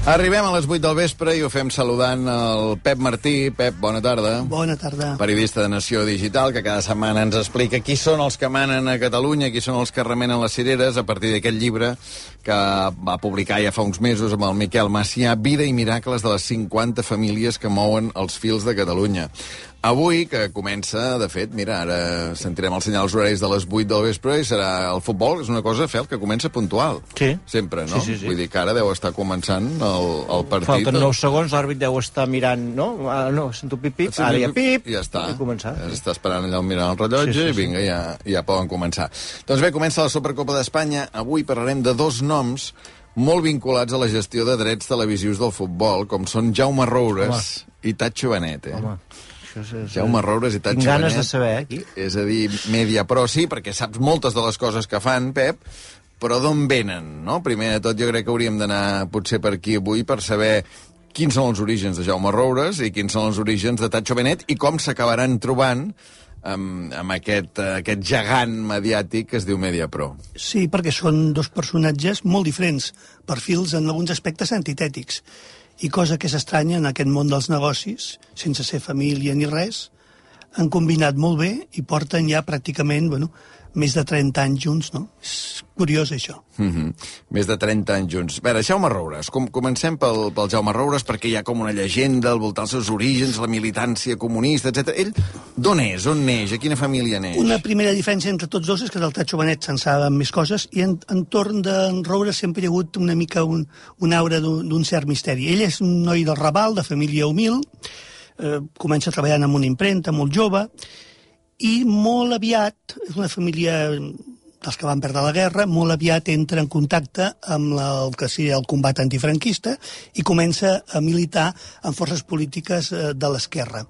Arribem a les 8 del vespre i ho fem saludant el Pep Martí. Pep, bona tarda. Bona tarda. Periodista de Nació Digital, que cada setmana ens explica qui són els que manen a Catalunya, qui són els que remenen les cireres, a partir d'aquest llibre que va publicar ja fa uns mesos amb el Miquel Macià, Vida i miracles de les 50 famílies que mouen els fils de Catalunya. Avui, que comença, de fet, mira, ara sentirem els senyals horaris de les 8 del vespre i serà el futbol, és una cosa, Fel, que comença puntual. Sí. Sempre, no? Sí. Vull dir que ara deu estar començant el partit. Falten 9 segons, l'àrbit deu estar mirant, no? No, sento pip-pip, ara ja pip, ja està. Començar. Està esperant allà mirant el rellotge i vinga, ja poden començar. Doncs bé, comença la Supercopa d'Espanya. Avui parlarem de dos noms molt vinculats a la gestió de drets televisius del futbol, com són Jaume Roures i Tacho Benet. Home. Jaume Roures i Tacho Benet. Tinc ganes de saber, aquí. És a dir, Mediapro, sí, perquè saps moltes de les coses que fan, Pep, però d'on venen, no? Primer de tot, jo crec que hauríem d'anar potser per aquí avui per saber quins són els orígens de Jaume Roures i quins són els orígens de Tacho Benet i com s'acabaran trobant amb aquest gegant mediàtic que es diu Mediapro. Sí, perquè són dos personatges molt diferents, perfils en alguns aspectes antitètics. I cosa que és estranya en aquest món dels negocis, sense ser família ni res, han combinat molt bé i porten ja pràcticament, més de 30 anys junts, no? És curiós, això. Més de 30 anys junts. A veure, Jaume Roures. Comencem pel Jaume Roures, perquè hi ha com una llegenda al voltant dels seus orígens, la militància comunista, etc. Ell d'on és? On neix? A quina família neix? Una primera diferència entre tots dos és que del Tacho Benet se'n saben més coses i entorn d'en Roures sempre hi ha hagut una mica un aura d'un cert misteri. Ell és un noi del Raval, de família humil, comença treballant en una impremta molt jove, i molt aviat, és una família dels que van perdre la guerra, molt aviat entra en contacte amb el que seria el combat antifranquista i comença a militar en forces polítiques de l'esquerra.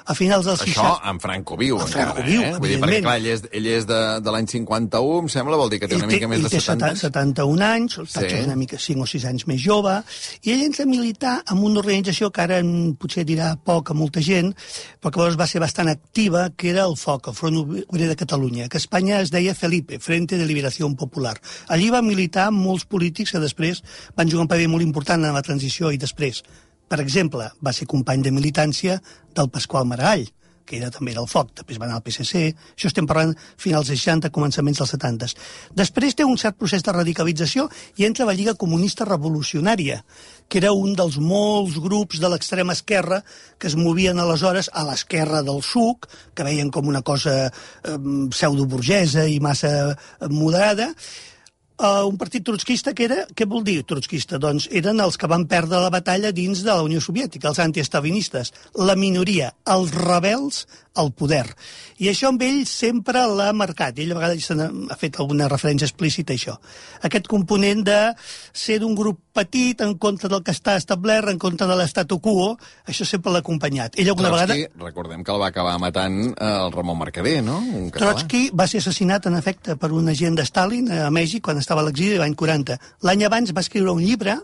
A finals dels 60... Això en Franco viu, encara, Vull dir, perquè, clar, ell és de l'any 51, em sembla, vol dir que té una mica més de 70 anys. 71 anys, el Tacho és una mica 5 o 6 anys més jove, i ell entra a militar en una organització que ara potser dirà poc a molta gent, però que llavors va ser bastant activa, que era el FOC, el Front Obrer de Catalunya, que a Espanya es deia Felipe, Frente de Liberació Popular. Allí va militar molts polítics que després van jugar un paper molt important en la transició i després, per exemple, va ser company de militància del Pasqual Maragall, que era també del FOC, després va anar al PSC, això estem parlant finals dels 60, començaments dels 70. Després té un cert procés de radicalització i entra a la Lliga Comunista Revolucionària, que era un dels molts grups de l'extrema esquerra que es movien aleshores a l'esquerra del SUC, que veien com una cosa pseudoburgesa i massa moderada, un partit trotskista que era... Què vol dir trotskista? Doncs eren els que van perdre la batalla dins de la Unió Soviètica, els antiestalinistes, la minoria, els rebels al poder. I això amb ell sempre l'ha marcat. Ell a vegades ha fet alguna referència explícita a això. Aquest component de ser d'un grup petit en contra del que està establert, en contra de l'estatu quo, això sempre l'ha acompanyat. Ell alguna vegada... Recordem que el va acabar matant el Ramon Mercader, no? Trotsky va ser assassinat, en efecte, per un agent de Stalin a Mèxic quan estava a l'exili l'any 40. L'any abans va escriure un llibre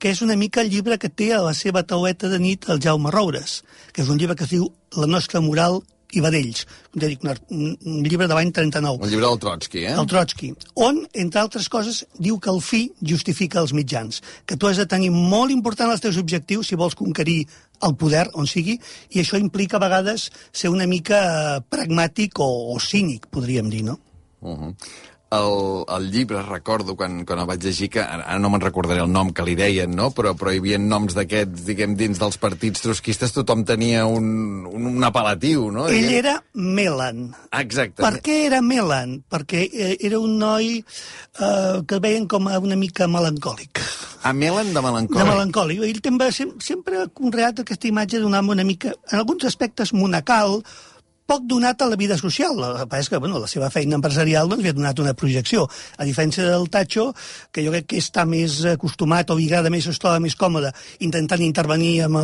que és una mica el llibre que té a la seva tauleta de nit el Jaume Roures, que és un llibre que es diu La nostra moral i vedells, un llibre de l'any 39. Un llibre del Trotsky, El Trotsky, on, entre altres coses, diu que el fi justifica els mitjans, que tu has de tenir molt important els teus objectius si vols conquerir el poder, on sigui, i això implica a vegades ser una mica pragmàtic o cínic, podríem dir, no? El llibre, recordo, quan el vaig llegir, que ara no me'n recordaré el nom que li deien, no? Però hi havia noms d'aquests, diguem, dins dels partits trotskistes, tothom tenia un apel·latiu, no? Ell era Melan. Exacte. Per què era Melan? Perquè era un noi que el veien com una mica melancòlic. Melan de melancòlic. De melancòlic. Ell també sempre ha conreat aquesta imatge d'un home una mica, en alguns aspectes, monacal, poc donat a la vida social. El que és que la seva feina empresarial li ha donat una projecció. A diferència del Tacho, que jo crec que està més acostumat o vigada més, es troba més còmode intentant intervenir amb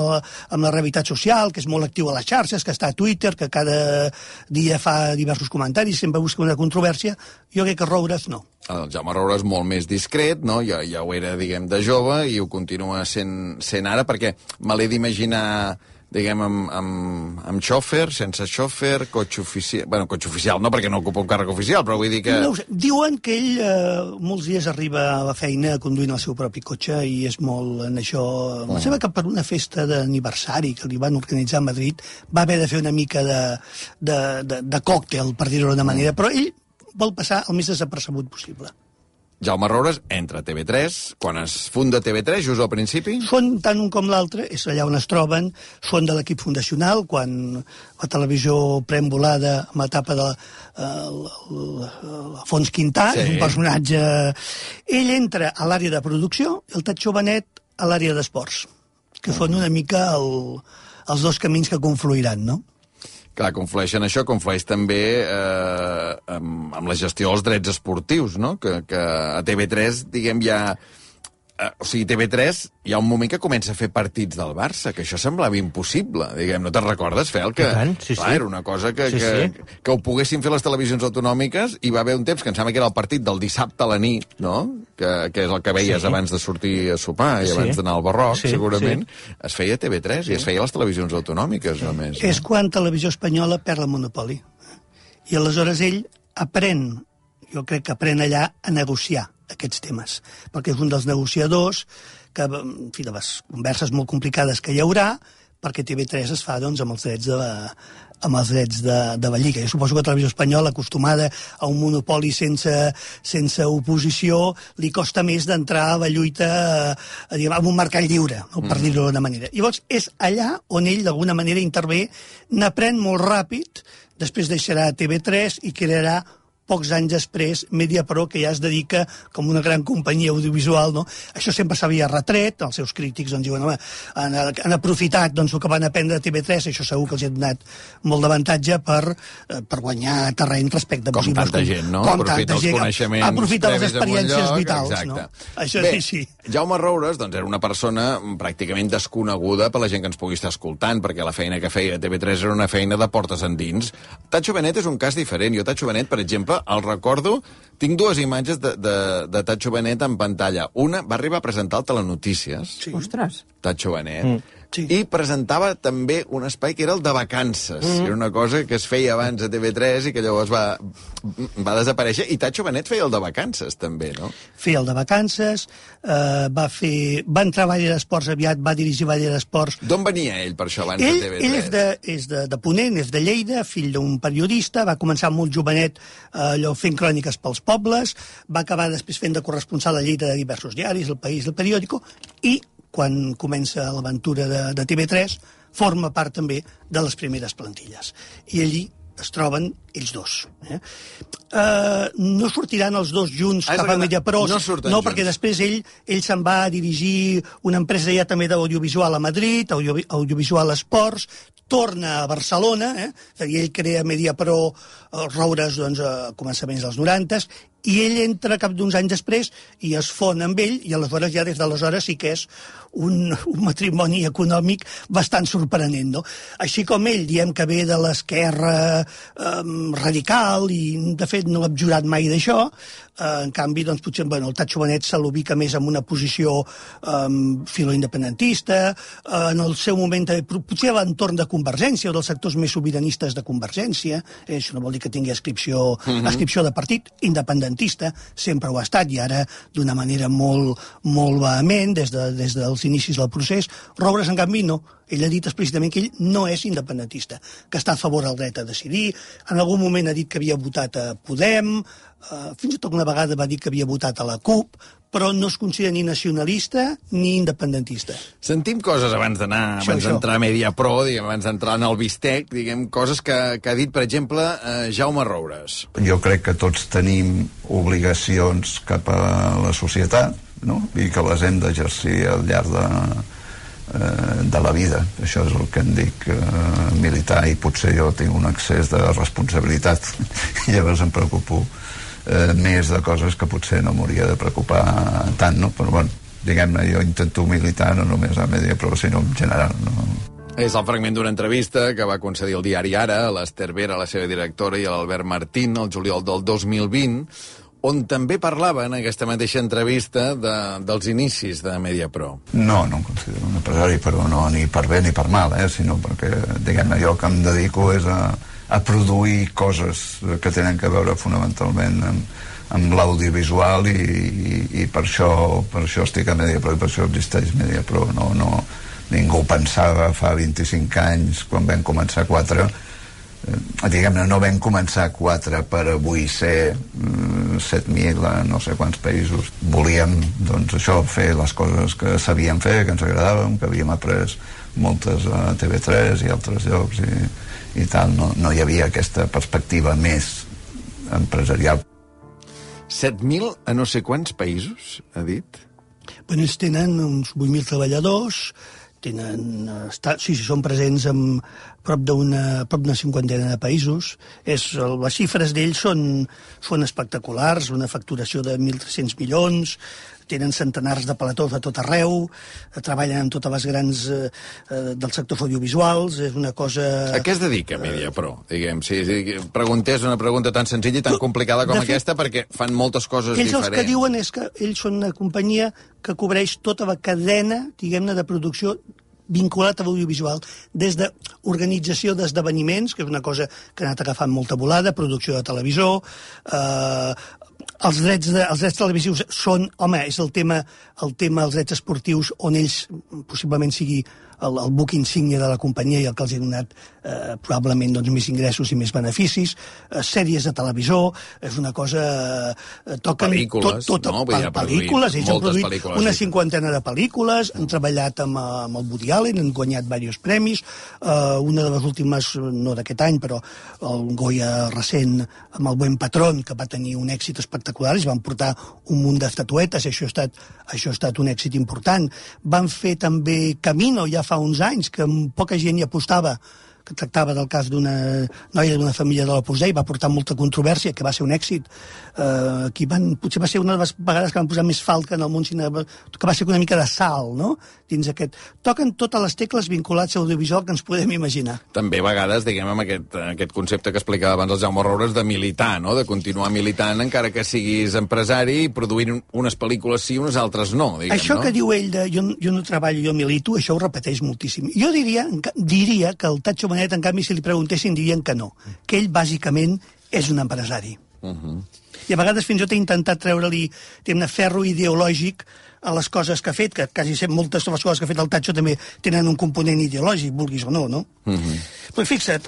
la realitat social, que és molt actiu a les xarxes, que està a Twitter, que cada dia fa diversos comentaris, sempre busca una controvèrsia. Jo crec que Roures no. El Jaume Roures molt més discret, no? Ja ho era, diguem, de jove i ho continua sent ara, perquè me l'he d'imaginar diguem, amb xòfer, sense xòfer, cotxe oficial... Bueno, cotxe oficial no, perquè no ocupa un càrrec oficial, però vull dir que... No ho sé. Diuen que ell molts dies arriba a la feina conduint el seu propi cotxe i és molt en això... Em sembla que per una festa d'aniversari que li van organitzar a Madrid va haver de fer una mica de còctel, per dir-ho d'una manera, però ell vol passar el més desapercebut possible. Jaume Roures entra a TV3, quan es funda TV3, just al principi? Són tant un com l'altre, és allà on es troben, són de l'equip fundacional, quan la televisió pren volada amb l'etapa de Fons Quintà, sí. És un personatge... Ell entra a l'àrea de producció, el Tatxo Benet a l'àrea d'esports, que són una mica els dos camins que confluiran, no? Clar, conflueixen això, conflueix també amb la gestió dels drets esportius, no? Que a TV3, diguem, ja... O sigui, TV3 hi ha un moment que comença a fer partits del Barça, que això semblava impossible, diguem. No te'n recordes, Fel? Que, sí, clar, era una cosa que ho poguessin fer les televisions autonòmiques, i va haver un temps que em sembla que era el partit del dissabte a la nit, no? Que és el que veies abans de sortir a sopar i abans d'anar al Barroc, segurament. Es feia a TV3 i es feia a les televisions autonòmiques, només. No? És quan Televisió Espanyola perd el monopoli. I aleshores ell aprèn, jo crec que aprèn allà a negociar aquests temes, perquè és un dels negociadors que, en fi, de les converses molt complicades que hi haurà, perquè TV3 es fa, doncs, amb els drets de la Lliga. Jo suposo que Televisió Espanyola, acostumada a un monopoli sense oposició, li costa més d'entrar a la lluita en un mercat lliure, no? Per dir-ho d'una manera. Llavors, és allà on ell, d'alguna manera, intervé, n'aprèn molt ràpid, després deixarà TV3 i crearà pocs anys després, Mediapro, que ja es dedica com una gran companyia audiovisual, no? Això sempre s'havia retret, els seus crítics doncs, diuen, home, han aprofitat doncs, el que van aprendre a TV3, això segur que els ha donat molt d'avantatge per guanyar terreny respecte a possibles... Com tanta gent, no? Aprofita els coneixements... Aprofita les experiències vitals, exacte. No? Això bé, sí. Jaume Roures doncs, era una persona pràcticament desconeguda per la gent que ens pugui estar escoltant, perquè la feina que feia a TV3 era una feina de portes endins. Tatxo Benet és un cas diferent. Jo, Tatxo Benet, per exemple, el recordo, tinc dues imatges de Tatxo Benet en pantalla. Una va arribar a presentar el Telenotícies. Sí. Ostres. Tatxo Benet. Sí. I presentava també un espai que era el de vacances. Era una cosa que es feia abans a TV3 i que llavors va desaparèixer. I Tatxo Benet feia el de vacances, també, no? Feia el de vacances, va entrar a Valle d'Esports aviat, va dirigir Valle d'Esports. D'on venia ell, per això, abans de TV3? Ell és de Ponent, és de Lleida, fill d'un periodista, va començar molt jovenet allò fent cròniques pels pobles, va acabar després fent de corresponsal a Lleida de diversos diaris, El País, El Periódico, i quan comença l'aventura de TV3, forma part també de les primeres plantilles. I allí es troben ells dos. No sortiran els dos junts cap a Mediapro, no, perquè després ell se'n va a dirigir una empresa ja també d'audiovisual a Madrid, Audiovisual Esports, torna a Barcelona, és a dir, ell crea Mediapro, Roures, doncs, a començaments dels 90, i ell entra cap d'uns anys després i es fon amb ell, i aleshores ja des d'aleshores sí que és un matrimoni econòmic bastant sorprenent, no? Així com ell, diem que ve de l'esquerra radical i de fet no ha abjurat mai d'això, en canvi, doncs, potser el Tatxo Benet se l'ubica més en una posició filoindependentista, en el seu moment també, potser a l'entorn de Convergència o dels sectors més sobiranistes de Convergència, això no vol dir que tingui ascripció de partit, independentista, sempre ho ha estat, i ara d'una manera molt vehement, des dels inicis del procés. Roures, en canvi, no. Ell ha dit explícitament que ell no és independentista, que està a favor del dret a decidir, en algun moment ha dit que havia votat a Podem, fins i tot una vegada va dir que havia votat a la CUP, però no es considera ni nacionalista ni independentista. Sentim coses abans d'entrar a Mediapro, abans d'entrar en el bistec, diguem, coses que ha dit, per exemple, Jaume Roures. Jo crec que tots tenim obligacions cap a la societat, no? I que les hem d'exercir al llarg de la vida. Això és el que em dic militar, i potser jo tinc un excés de responsabilitat i llavors em preocupo més de coses que potser no m'hauria de preocupar tant, no? Però bueno, diguem-ne, jo intento militar no només a Mediapro, sinó en general, no? És el fragment d'una entrevista que va concedir el diari Ara a l'Ester Vera, la seva directora, i a l'Albert Martín, el juliol del 2020, on també parlava en aquesta mateixa entrevista dels inicis de Mediapro. No em considero un empresari, però no ni per bé ni per mal, sinó perquè, diguem-ne, jo que em dedico és a produir coses que tenen a veure fonamentalment amb l'audiovisual i per això estic a Mediapro i per això existeix Mediapro. Ningú pensava fa 25 anys, quan vam començar 4, diguem-ne, no vam començar 4 per avui ser 7.000 a no sé quants països. Volíem, doncs, això, fer les coses que sabíem fer, que ens agradaven, que havíem après moltes a TV3 i altres llocs i tal. No hi havia aquesta perspectiva més empresarial. 7.000 a no sé quants països, ha dit? Bueno, ells tenen uns 8.000 treballadors, són presents en prop d'una cinquantena de països. Les xifres d'ells són espectaculars, una facturació de 1.300 milions, tenen centenars de platós a tot arreu, treballen amb totes les grans del sector audiovisuals, és una cosa... A què es dedica Mediapro? Diguem, si preguntés una pregunta tan senzilla i tan complicada com aquesta, perquè fan moltes coses diferents. Ells el que diuen és que ells són una companyia que cobreix tota la cadena, diguem-ne, de producció vinculat a l'audiovisual, des d'organització d'esdeveniments, que és una cosa que ha anat agafant molta volada, producció de televisor, els drets televisius són, home, és el tema dels drets esportius on ells possiblement sigui el buc insígnia de la companyia i el que els ha donat probablement més ingressos i més beneficis, sèries de televisor, és una cosa... Pel·lícules, no? Pel·lícules, ells han produït una cinquantena de pel·lícules, han treballat amb el Woody Allen, han guanyat diversos premis, una de les últimes, no d'aquest any, però el Goya recent amb el Buen Patrón, que va tenir un èxit espectacular, es van portar un munt d'estatuetes, això ha estat un èxit important. Van fer també Camino, ja fa uns anys, que poca gent hi apostava, que tractava del cas d'una noia d'una família de l'Opus Dei, va portar molta controvèrsia, que va ser un èxit. Potser va ser una de les vegades que van posar més falca en el món cinema, que va ser una mica de sal, no?, dins aquest... Toquen totes les tecles vinculats a l'audiovisual que ens podem imaginar. També a vegades, diguem, amb aquest concepte que explicava abans el Jaume Roures de militar, no?, de continuar militant encara que siguis empresari i produint unes pel·lícules sí, unes altres no, diguem, això, no? Que diu ell de jo no treballo, jo milito, això ho repeteix moltíssim. Jo diria que el Tatxo Benet, en canvi, si li preguntessin, dirien que no, que ell bàsicament és un empresari. I a vegades fins i tot he intentat treure-li ferro ideològic a les coses que ha fet, que quasi moltes de les coses que ha fet el Tatxo també tenen un component ideològic, vulguis o no, no? Però fixa't,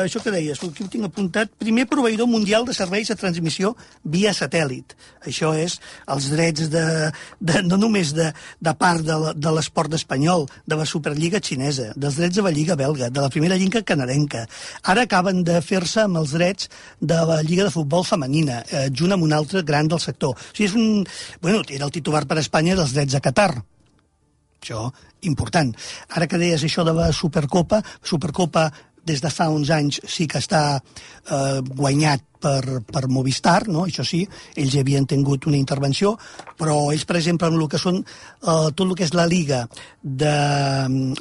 això que deies, aquí ho tinc apuntat, primer proveïdor mundial de serveis de transmissió via satèl·lit. Això és els drets no només de part de l'esport espanyol, de la Superliga xinesa, dels drets de la Lliga belga, de la primera lliga canadenca. Ara acaben de fer-se amb els drets de la Lliga de Futbol femenina, junt amb un altre gran del sector. O sigui, era el titular per Espanya dels drets a Qatar. Això, important. Ara que deies això de la Supercopa des de fa uns anys sí que està guanyat per Movistar, no? Això sí, ells havien tingut una intervenció, però ells, per exemple, en el que són tot el que és la Liga, de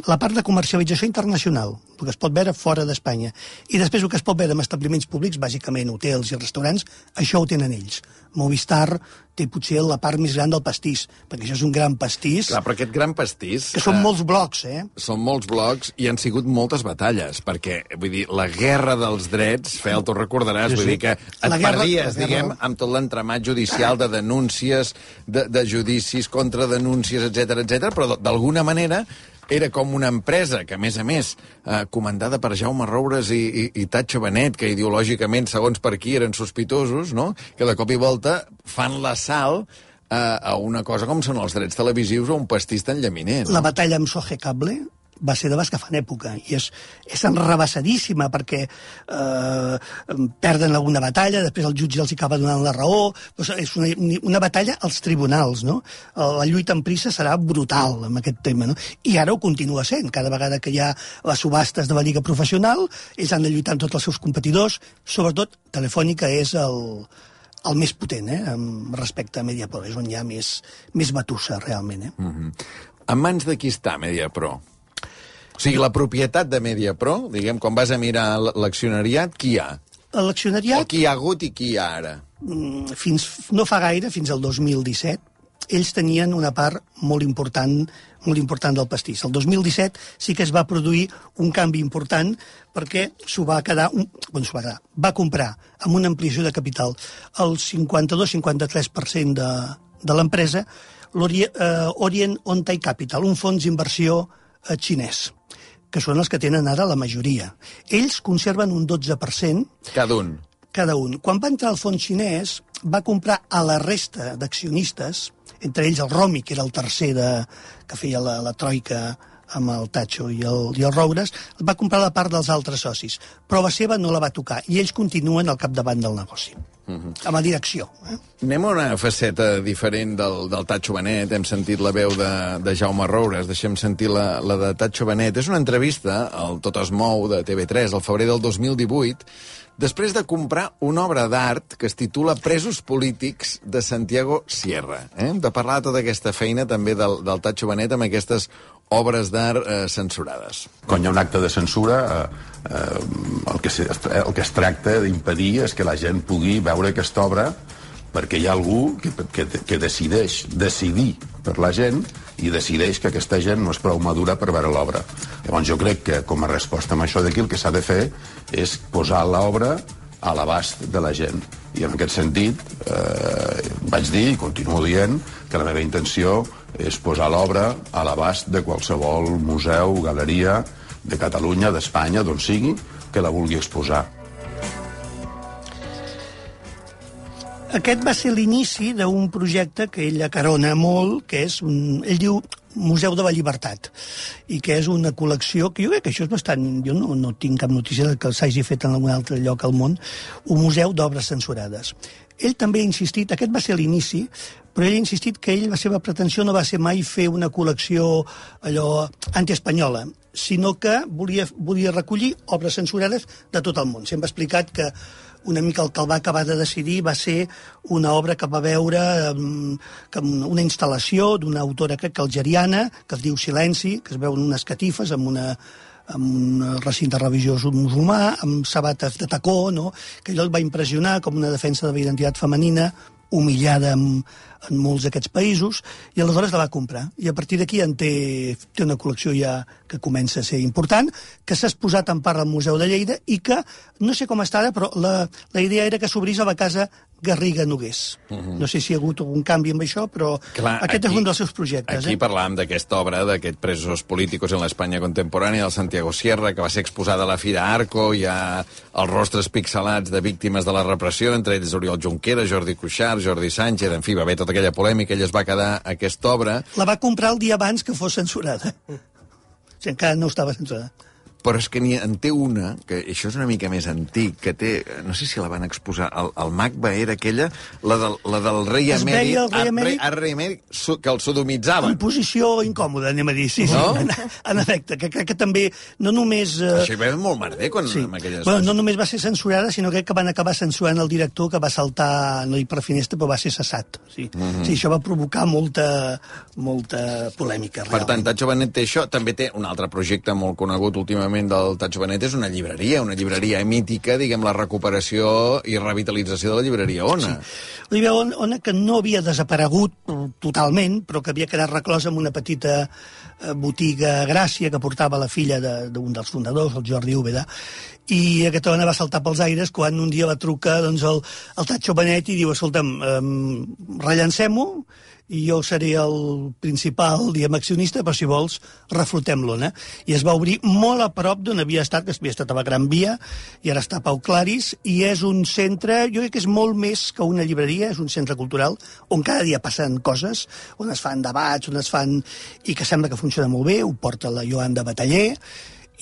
la part de comercialització internacional, el que es pot veure fora d'Espanya, i després el que es pot veure en establiments públics, bàsicament hotels i restaurants, això ho tenen ells. Movistar té potser la part més gran del pastís, perquè això és un gran pastís. Clar, però aquest gran pastís... Que són molts blocs, Són molts blocs i han sigut moltes batalles, perquè, vull dir, la guerra dels drets, Fel, tu recordaràs, vull dir que et perdies, diguem, amb tot l'entramat judicial de denúncies, de judicis, contradenúncies, etc, però d'alguna manera era com una empresa que, a més, comandada per Jaume Roures i Tatxo Benet, que ideològicament, segons per qui, eren sospitosos, no?, que de cop i volta fan l'assalt a una cosa com són els drets televisius o un pastís tan llaminer. No? La batalla amb Soje Cable va ser de les que fan època, i és enrevessadíssima, perquè perden alguna batalla, després el jutge els acaba donant la raó, és una batalla als tribunals, no? La lluita en prisa serà brutal amb aquest tema, no? I ara ho continua sent, cada vegada que hi ha les subhastes de la Lliga Professional, ells han de lluitar amb tots els seus competidors, sobretot Telefònica és el més potent, respecte a Mediapro, és on hi ha més batussa, realment. En mans de qui està Mediapro? O sigui, la propietat de Mediapro, diguem, quan vas a mirar l'accionariat, qui hi ha? L'accionariat... O qui hi ha hagut i qui hi ha ara? no fa gaire, fins al 2017, ells tenien una part molt important del pastís. El 2017 sí que es va produir un canvi important perquè va comprar amb una ampliació de capital el 52-53% de l'empresa l'Orient On-Tai Capital, un fons d'inversió xinès, que són els que tenen ara la majoria. Ells conserven un 12%. Cada un. Quan va entrar el fons xinès, va comprar a la resta d'accionistes, entre ells el Romi, que era el tercer que feia la troika amb el Tatxo i el Roures, va comprar la part dels altres socis, però la seva no la va tocar, i ells continuen al capdavant del negoci, amb la direcció. Anem a una faceta diferent del Tatxo Benet. Hem sentit la veu de Jaume Roures, deixem sentir la de Tatxo Benet. És una entrevista al Tot es mou de TV3 al febrer del 2018, després de comprar una obra d'art que es titula Presos polítics de Santiago Sierra. Hem de parlar de tota aquesta feina també del Tatxo Benet amb aquestes obres d'art censurades. Quan hi ha un acte de censura, el que es tracta d'impedir és que la gent pugui veure aquesta obra, perquè hi ha algú que decideix decidir per la gent i decideix que aquesta gent no és prou madura per veure l'obra. Llavors jo crec que com a resposta a això d'aquí el que s'ha de fer és posar l'obra a l'abast de la gent. I en aquest sentit vaig dir i continuo dient que la meva intenció és posar l'obra a l'abast de qualsevol museu, galeria de Catalunya, d'Espanya, d'on sigui, que la vulgui exposar. Aquest va ser l'inici d'un projecte que ell acarona molt, que és, ell diu, Museu de la Llibertat, i que és una col·lecció que jo crec que això és bastant... Jo no tinc cap notícia que s'hagi fet en algun altre lloc al món, un museu d'obres censurades. Ell també ha insistit, aquest va ser l'inici, però ell ha insistit que la seva pretensió no va ser mai fer una col·lecció allò antiespanyola, sinó que volia recollir obres censurades de tot el món. Sempre ha explicat que una mica el que el va acabar de decidir va ser una obra que va veure una instal·lació d'una autora, crec que algeriana, que es diu Silenci, que es veuen unes catifes amb un recinte religiós musulmà, amb sabates de tacó, no? Que allò el va impressionar com una defensa de la identitat femenina, humillada en molts d'aquests països, i aleshores la va comprar. I a partir d'aquí té una col·lecció ja que comença a ser important, que s'ha exposat en part al Museu de Lleida i que, no sé com està ara, però la idea era que s'obrís a la casa Garriga Nogués. No sé si hi ha hagut algun canvi amb això, però aquest és un dels seus projectes. Aquí parlàvem d'aquesta obra, d'aquest Presos políticos en l'Espanya contemporània del Santiago Sierra, que va ser exposada a la Fira Arco. Hi ha els rostres pixelats de víctimes de la repressió, entre ells Oriol Junqueras, Jordi Cuixart, Jordi Sánchez, en fi, va haver tota aquella polèmica, ell es va quedar aquesta obra. La va comprar el dia abans que fos censurada. O sigui, encara no estava censurada. Però és que en té una, que això és una mica més antic, que té, no sé si la van exposar, el MACBA era aquella, la del rei emèrit, rei emèrit, que el sodomitzaven. En posició incòmoda, anem a dir, sí, no? En efecte, que crec que també, no només... Això hi va molt merder quan amb aquelles coses. No només va ser censurada, sinó que van acabar censurant el director, que va saltar, no dic per finestra, però va ser cessat. Sí, això va provocar molta polèmica, realment. Per tant, Tatxo Benet té això, també té un altre projecte molt conegut últimament del Tatxo Benet, és una llibreria mítica, diguem, la recuperació i revitalització de la llibreria Ona. Sí. La llibreria Ona, que no havia desaparegut totalment, però que havia quedat reclosa en una petita botiga a Gràcia que portava la filla d'un dels fundadors, el Jordi Úbeda, i aquesta dona va saltar pels aires quan un dia va trucar el Tatxo Benet i diu, escolta'm, rellancem-ho, i jo seré el principal, diguem, accionista, però si vols, reflotem-lo, no? I es va obrir molt a prop d'on havia estat, que havia estat a la Gran Via, i ara està a Pau Claris, i és un centre, jo crec que és molt més que una llibreria, és un centre cultural, on cada dia passen coses, on es fan debats, i que sembla que funciona molt bé, ho porta la Joanda Bataller,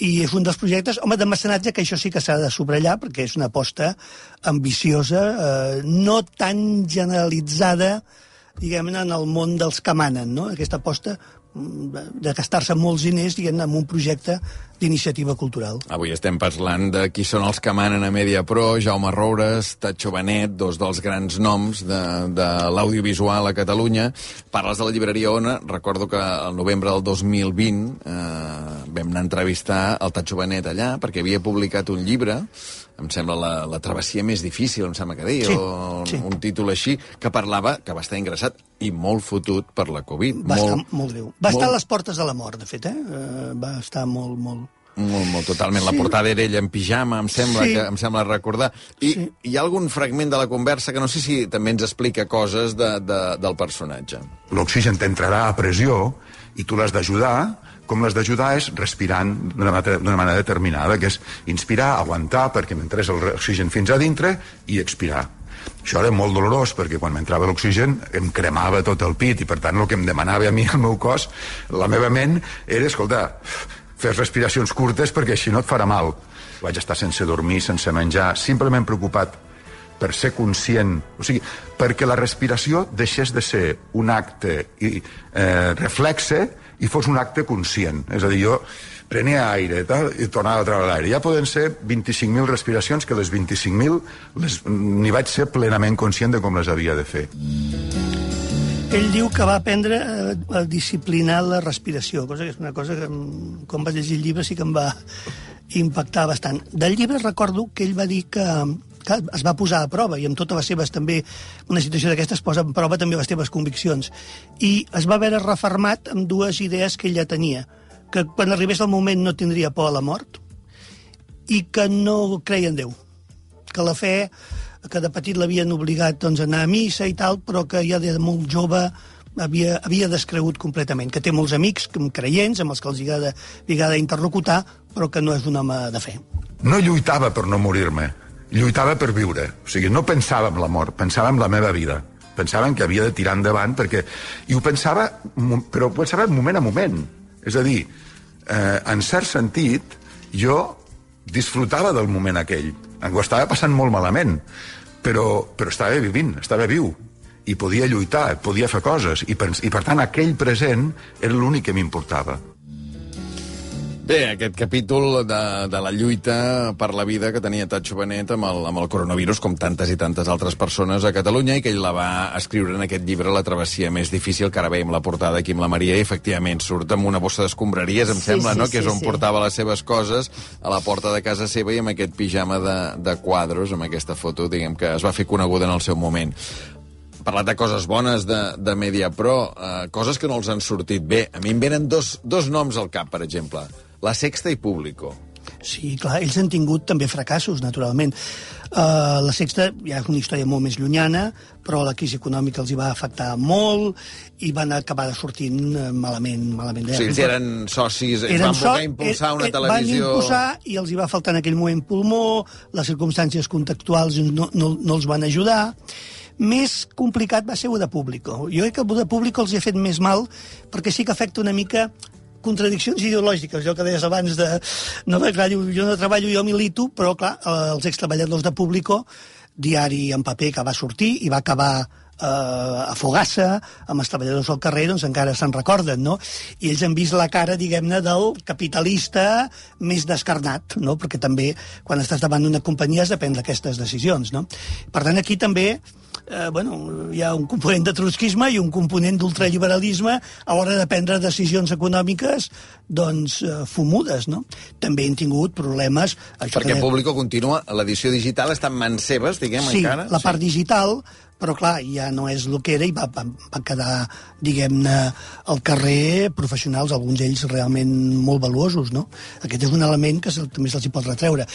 i és un dels projectes, home, de mecenatge, que això sí que s'ha de subratllar, perquè és una aposta ambiciosa, no tan generalitzada, diguem-ne, en el món dels que manen, no? Aquesta aposta de gastar-se molts diners, diguem-ne, en un projecte d'iniciativa cultural. Avui estem parlant de qui són els que manen a Mediapro, Jaume Roures, Tatxo Benet, dos dels grans noms de l'audiovisual a Catalunya. Parles de la llibreria Ona. Recordo que al novembre del 2020 vam anar a entrevistar el Tatxo Benet allà, perquè havia publicat un llibre em sembla, la travessia més difícil, em sembla que deia, Sí, o sí. un títol així, que parlava que va estar ingressat i molt fotut per la Covid. Va estar molt greu. Va estar a les portes de la mort, de fet, va estar molt... Molt, totalment. La portada era ella en pijama, em sembla recordar. I hi ha algun fragment de la conversa que no sé si també ens explica coses del personatge. L'oxigen t'entrarà a pressió i tu l'has d'ajudar. Com l'has d'ajudar és respirant d'una manera determinada, que és inspirar, aguantar perquè m'entrés l'oxigen fins a dintre i expirar. Això era molt dolorós perquè quan m'entrava l'oxigen em cremava tot el pit i per tant el que em demanava a mi el meu cos, la meva ment, era, escolta, fes respiracions curtes perquè així no et farà mal. Vaig estar sense dormir, sense menjar, simplement preocupat per ser conscient, o sigui, perquè la respiració deixés de ser un acte reflexe i fos un acte conscient. És a dir, jo prenia aire i tornava a treure l'aire. Ja poden ser 25.000 respiracions, que les 25.000 n'hi vaig ser plenament conscient de com les havia de fer. Ell diu que va aprendre a disciplinar la respiració, cosa que és una cosa que, quan vaig llegir el llibre, sí que em va impactar bastant. Del llibre recordo que ell va dir que es va posar a prova, i amb totes les seves també, una situació d'aquestes posa a prova també les teves conviccions, i es va veure refermat amb dues idees que ella tenia, que quan arribés el moment no tindria por a la mort, i que no creia en Déu, que la fe, que de petit l'havien obligat doncs, a anar a missa i tal, però que ja de molt jove havia descregut completament, que té molts amics creients amb els que els agrada interlocutar, però que no és un home de fe. No lluitava per no morir-me, lluitava per viure. O sigui, no pensava en la mort, pensava en la meva vida. Pensava que havia de tirar endavant, perquè... I ho pensava, però ho pensava moment a moment. És a dir, en cert sentit, jo disfrutava del moment aquell. Ho estava passant molt malament, però estava vivint, estava viu. I podia lluitar, podia fer coses. I per tant, aquell present era l'únic que m'importava. Bé, aquest capítol de la lluita per la vida que tenia Tatxo Benet amb el coronavirus, com tantes i tantes altres persones a Catalunya, i que ell la va escriure en aquest llibre, La travessia més difícil, que ara veiem la portada aquí amb la Maria, i efectivament surt amb una bossa d'escombraries, em sembla, no? Que és on portava les seves coses, a la porta de casa seva, i amb aquest pijama de quadros, amb aquesta foto, diguem, que es va fer coneguda en el seu moment. Parlat de coses bones de Mediapro, coses que no els han sortit bé. A mi em venen dos noms al cap, per exemple. La Sexta i Público. Sí, clar, ells han tingut també fracassos, naturalment. La Sexta ja és una història molt més llunyana, però la crisi econòmica els hi va afectar molt i van acabar sortint malament. O sigui, ells eren socis, ells van voler impulsar una televisió... Van impulsar i els hi va faltar en aquell moment pulmó, les circumstàncies contextuals no els van ajudar. Més complicat va ser el de Público. Jo crec que el de Público els hi ha fet més mal perquè sí que afecta una mica contradiccions ideològiques, allò que deies abans de... No, clar, jo no treballo, jo milito, però, clar, els extreballadors de Público, diari en paper que va sortir i va acabar a Fogassa, amb els treballadors al carrer, doncs encara se'n recorden, no? I ells han vist la cara, diguem-ne, del capitalista més descarnat, no? Perquè també, quan estàs davant d'una companyia, has de prendre aquestes decisions, no? Per tant, aquí també hi ha un component de trotskisme i un component d'ultraliberalisme a l'hora de prendre decisions econòmiques doncs fumudes, no? També han tingut problemes... Perquè Público continua, l'edició digital està en mans seves, diguem, encara? Sí, la part digital, però clar, ja no és el que era i van quedar, diguem-ne, al carrer professionals, alguns d'ells realment molt valuosos, no? Aquest és un element que també se'ls hi pot retreure.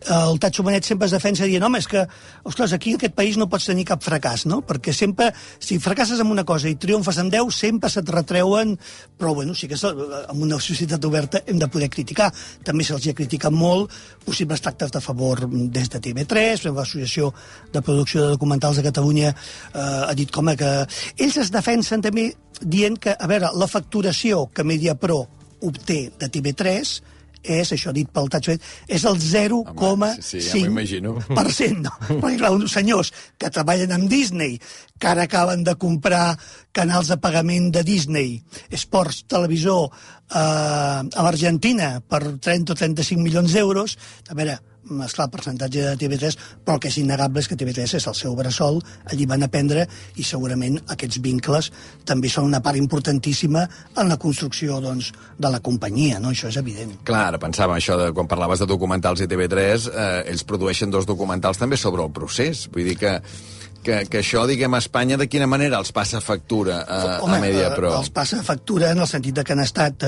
El Tatxo Benet sempre es defensa dient, home, és que, ostres, aquí en aquest país no pots tenir cap fracàs, no? Perquè sempre, si fracasses en una cosa i triomfes en 10, sempre se't retreuen, però, bueno, sí que en una societat oberta hem de poder criticar. També se'ls ha criticat molt possibles tractes de favor des de TV3, l'Associació de Producció de Documentals de Catalunya ha dit com que ells es defensen també dient que, a veure, la facturació que Mediapro obté de TV3 és, això dit pel Tatxo, és el 0,5%. No? Perquè, clar, uns senyors que treballen amb Disney, que ara acaben de comprar canals de pagament de Disney, Sports, televisor, a l'Argentina per 30 o 35 milions d'euros. A veure, esclar, el percentatge de TV3, però el que és innegable és que TV3 és el seu bressol, allí van aprendre, i segurament aquests vincles també són una part importantíssima en la construcció, doncs, de la companyia, no? Això és evident. Clar, ara pensava això de quan parlaves de documentals i TV3, ells produeixen 2 documentals també sobre el procés, vull dir que això, diguem, a Espanya, de quina manera els passa factura a Mediapro? Els passa factura en el sentit de que han estat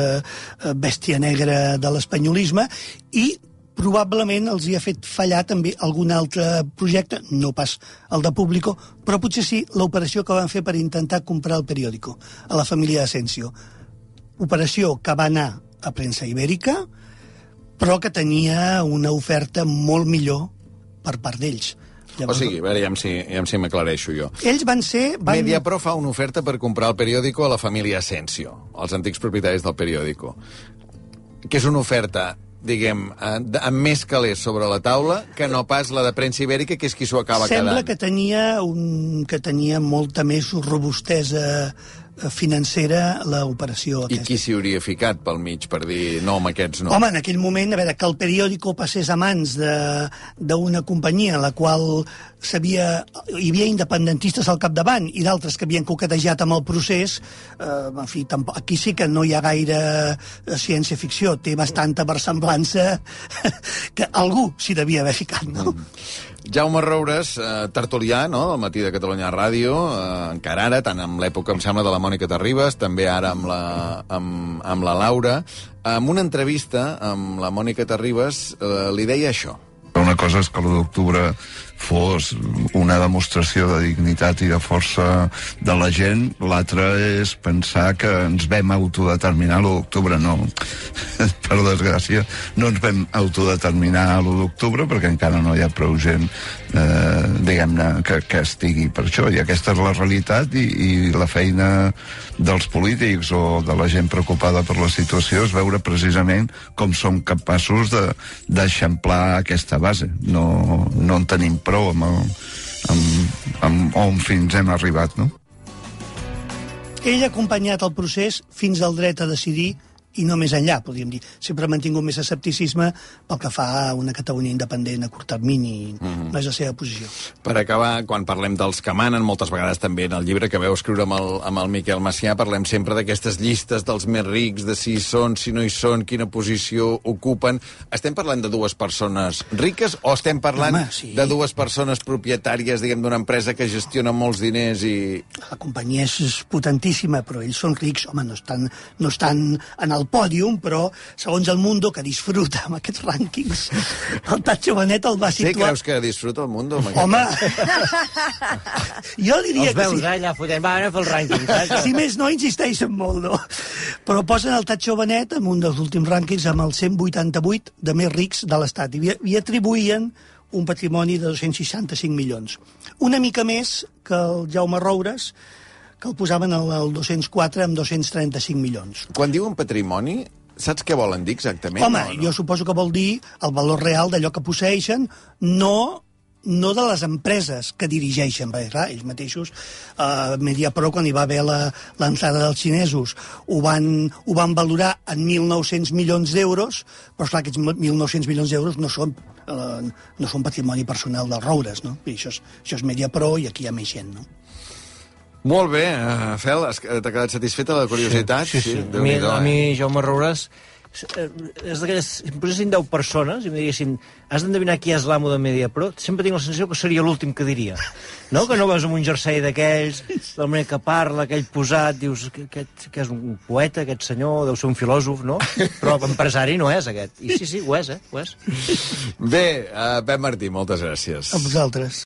bèstia negra de l'espanyolisme, i probablement els hi ha fet fallar també algun altre projecte, no pas el de Público, però potser sí l'operació que van fer per intentar comprar el periòdico a la família Asensio. Operació que va anar a premsa ibèrica, però que tenia una oferta molt millor per part d'ells. Llavors, o sigui, a veure, ja si m'aclareixo jo. Ells van ser... Mediapro fa una oferta per comprar el periòdico a la família Asensio, els antics propietaris del periòdico, que és una oferta, diguem, amb més calés sobre la taula que no pas la de premsa ibèrica, que és qui s'ho acaba quedant. Sembla que tenia molta més robustesa financera l'operació aquesta. I qui s'hi hauria ficat pel mig per dir no, amb aquests no? Home, en aquell moment, a veure, que el periòdico passés a mans d'una companyia en la qual hi havia independentistes al capdavant i d'altres que havien coquetejat amb el procés, en fi, aquí sí que no hi ha gaire ciència-ficció, té bastanta versemblança que algú s'hi devia haver ficat, no? Jaume Roures, tertulià, no?, del Matí de Catalunya Ràdio, encara ara, tant en l'època, em sembla, de la Mònica Terribas, també ara amb la Laura. En una entrevista amb la Mònica Terribas li deia això. Una cosa és que l'1 d'octubre fos una demostració de dignitat i de força de la gent, l'altra és pensar que ens vam autodeterminar l'1 d'octubre. No, per desgràcia, no ens vam autodeterminar l'1 d'octubre perquè encara no hi ha prou gent, diguem-ne, que estigui per això, i aquesta és la realitat, i la feina dels polítics o de la gent preocupada per la situació és veure precisament com som capaços d'eixamplar aquesta base. No en tenim prou amb on fins hem arribat, no? Ell ha acompanyat el procés fins al dret a decidir i no més enllà, podríem dir. Sempre ha mantingut més escepticisme pel que fa a una Catalunya independent a curt termini. No és la seva posició. Per acabar, quan parlem dels que manen, moltes vegades també en el llibre que veu escriure amb el Miquel Macià, parlem sempre d'aquestes llistes dels més rics, de si hi són, si no hi són, quina posició ocupen. Estem parlant de 2 persones riques o estem parlant de 2 persones propietàries, diguem, d'una empresa que gestiona molts diners i... La companyia és potentíssima, però ells són rics. Home, no estan en el pòdium, però segons el Mundo, que disfruta amb aquests rànquings, el Tacho Benet el va situar... Sí, creus que disfruta el Mundo? Home! Jo diria que sí. Els veus, allà fotent, va fer el rànquing. Si més no, insisteixen molt, no? Però posen el Tacho Benet en un dels últims rànquings amb els 188 de més rics de l'Estat i atribuïen un patrimoni de 265 milions. Una mica més que el Jaume Roures, que el posaven al 204 amb 235 milions. Quan diuen patrimoni, saps què volen dir exactament? Home, jo suposo que vol dir el valor real d'allò que posseeixen, no de les empreses que dirigeixen, perquè clar, ells mateixos, Mediapro, quan hi va haver l'entrada dels xinesos, ho van valorar en 1.900 milions d'euros, però esclar, aquests 1.900 milions d'euros no són patrimoni personal dels Roures, no? I això és Mediapro i aquí hi ha més gent, no? Molt bé, Fel, t'ha quedat satisfeta la curiositat? Sí. A mi, Jaume Roures, és d'aquelles... Si em posessin 10 persones i em diguessin has d'endevinar qui és l'amo de Mediapro, sempre tinc la sensació que seria l'últim que diria. No? Que no vas amb un jersei d'aquells, de la manera que parla, aquell posat, dius que és un poeta, aquest senyor, deu ser un filòsof, no? Però empresari no és, aquest. I sí, ho és, Ho és. Bé, Pep Martí, moltes gràcies. A vosaltres.